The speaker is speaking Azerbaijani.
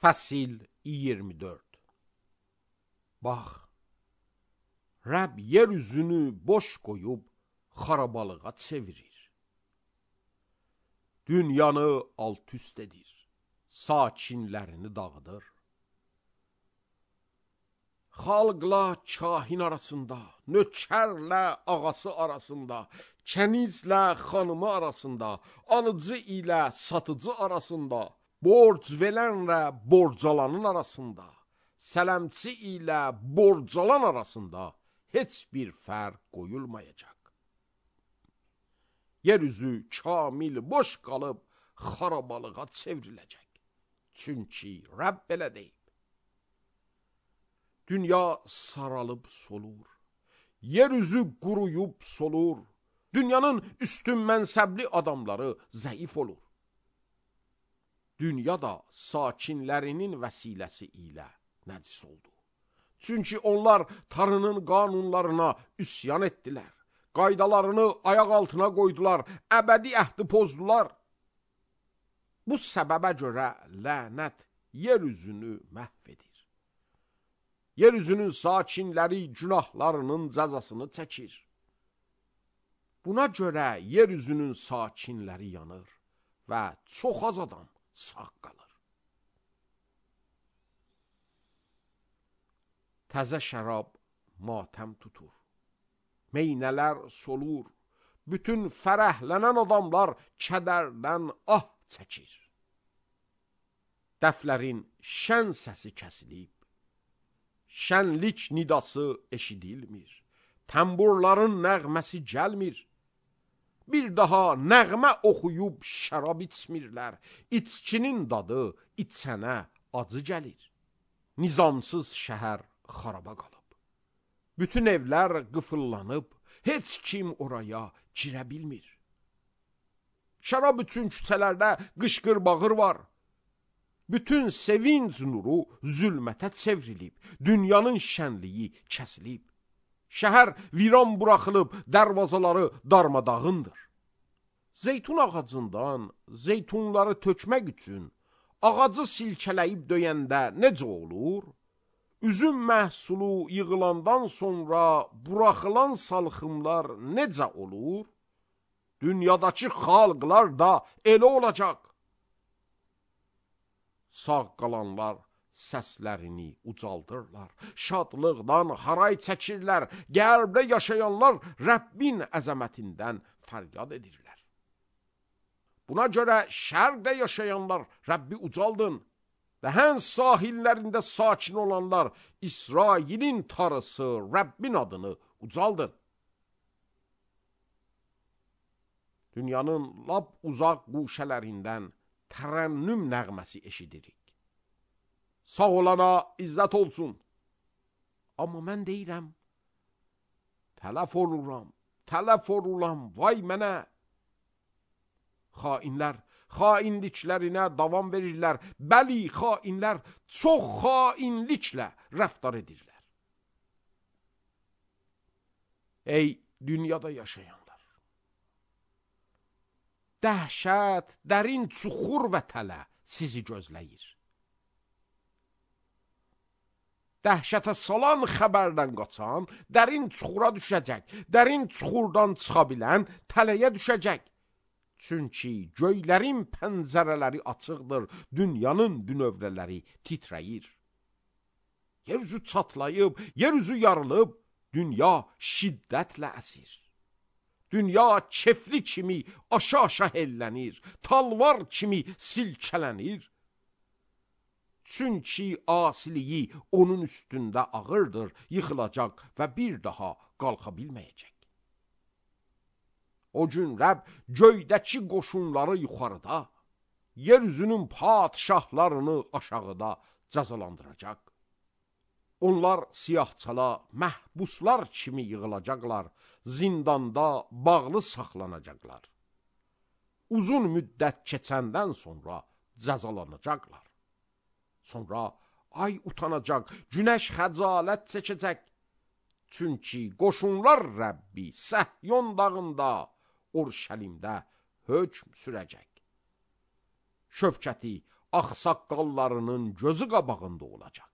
Fəsil 24. Bax, Rəbb yer üzünü boş qoyub xarabalığa çevirir. Dünyanı alt-üst edir, sakinlərini dağıdır. Xalqla kahin arasında, nökərlə ağası arasında, kənizlə xanımı arasında, alıcı ilə satıcı arasında, borc verənlə borcalanın arasında, sələmçi ilə borcalan arasında heç bir fərq qoyulmayacaq. Yeryüzü kamil boş qalıb xarabalığa çevriləcək. Çünki Rəbb belə deyib. Dünya saralıb solur, yeryüzü quruyub solur, dünyanın üstün mənsəbli adamları zəif olur. Dünya da sakinlərinin vəsiləsi ilə nəcis oldu. Çünki onlar Tanrının qanunlarına üsyan etdilər, qaydalarını ayaq altına qoydular, əbədi əhdi pozdular. Bu səbəbə görə lənət yeryüzünü məhv edir. Yeryüzünün sakinləri günahlarının cəzasını çəkir. Buna görə yeryüzünün sakinləri yanır və çox az adam sağ qalır. Təzə şərab matəm tutur, meynələr solur, bütün fərəhlənən adamlar kədərdən ah çəkir. Dəflərin şən səsi kəsilib, şənlik nidası eşidilmir, təmburların nəğməsi gəlmir. Bir daha nəğmə oxuyub şərab içmirlər, içkinin dadı içənə acı gəlir. Nizamsız şəhər xaraba qalıb, bütün evlər qıfıllanıb, heç kim oraya girə bilmir. Şərab üçün küçələrdə qışqır-bağır var. Bütün sevinç nuru zülmətə çevrilib, dünyanın şənliyi kəsilib. Şəhər viran buraxılıb, dərvazaları darmadağındır. Zeytun ağacından zeytunları tökmək üçün ağacı silkələyib döyəndə necə olur? Üzüm məhsulu yığılandan sonra buraxılan salxımlar necə olur? Dünyadakı xalqlar da elə olacaq. Sağ qalanlar səslərini ucaldırlar, şadlıqdan haray çəkirlər, qərbdə yaşayanlar Rəbbin əzəmətindən fəryad edirlər. Buna görə şərqdə yaşayanlar Rəbbi ucaldın və hən sahillərində sakin olanlar İsrailin tarısı Rəbbin adını ucaldın. Dünyanın lap uzaq quşələrindən tərənnüm nəğməsi eşidirik. Sağ olana izzət olsun. Amma mən deyirəm, tələf oluram, vay mənə. Xainlər xainliklərinə davam verirlər. Bəli, xainlər çox xainliklə rəftar edirlər. Ey dünyada yaşayanlar! Dəhşət, dərin çuxur və tələ sizi gözləyir. Dəhşətə salan xəbərdən qaçan dərin çuxura düşəcək, dərin çuxurdan çıxa bilən tələyə düşəcək. Çünki göylərin pəncərələri açıqdır, dünyanın bünövrələri titrəyir. Yeryüzü çatlayıb, yeryüzü yarılıb, dünya şiddətlə əsir. Dünya kefli kimi aşağı hellənir, talvar kimi silkələnir. Çünki asiliyi onun üstündə ağırdır, yıxılacaq və bir daha qalxa bilməyəcək. O gün Rəbb göydəki qoşunları yuxarıda, yeryüzünün padişahlarını aşağıda cəzalandıracaq. Onlar siyahçala, məhbuslar kimi yığılacaqlar, zindanda bağlı saxlanacaqlar. Uzun müddət keçəndən sonra cəzalanacaqlar. Sonra ay utanacaq, günəş xəcalət çəkəcək. Çünki qoşunlar Rəbbi Səhyon dağında, Urşəlimdə hökm sürəcək. Şövkəti ağsaqqallarının gözü qabağında olacaq.